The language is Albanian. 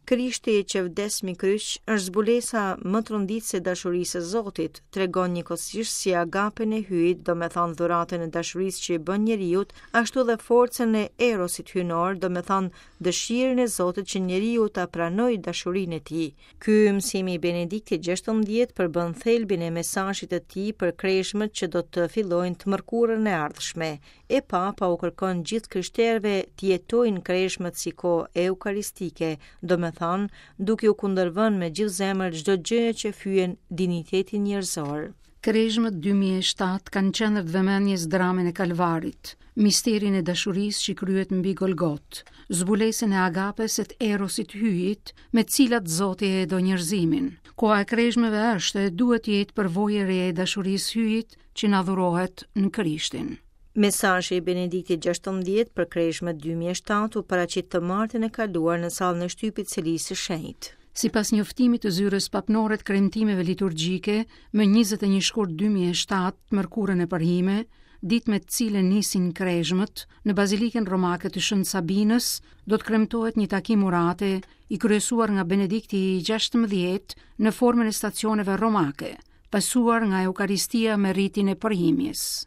Krishti që vdes mi kryq është zbulesa më tronditëse e dashurisë së Zotit, tregon njëkohësisht si agapen e Hyjit, domethënë dhuratën e dashurisë që i bën njeriut, ashtu dhe forcën e erosit hyjnor, domethënë dëshirën e Zotit që njeriu ta pranojë dashurinë e tij. Ky mësim i Benediktit XVI përbën thelbin e mesazhit të tij për kreshmët që do të fillojnë të mërkurën e ardhshme. E Papa u kërkon gjithë krishterëve t'i jetojnë kreshmët si kohë eukaristike, domethënë, duke iu kundërvënë me gjithë zemër çdo gjëje që fyen dinjitetin njerëzor. Kreshmët 2007 kanë në qendër të vëmendjes dramën e Kalvarit, misterin e dashurisë që kryhet mbi Golgotë, zbulesën e agapes e të erosit Hyjit, me të cilat Zoti e do njerëzimin. Koha e kreshmëve është e duhet të jetë përvojë e re e dashurisë Hyjit që na dhurohet në Krishtin. Mesazhi i Benediktit XVI për Kreshmët 2007 u paraqit të martën e kaluar në sallën e shtypit Selisë së Shenjtë. Sipas njoftimit të zyrës papnore të kremtimeve liturgjike, më 21 shkurt 2007, të mërkurën e përhime, ditë me të cilën nisin kreshmët, në Bazilikën Romake të Shën Sabinës do të kremtohet një takim urate i kryesuar nga Benedikti i 16 në formën e stacioneve romake, pasuar nga Eukaristia me ritin e përhimjes.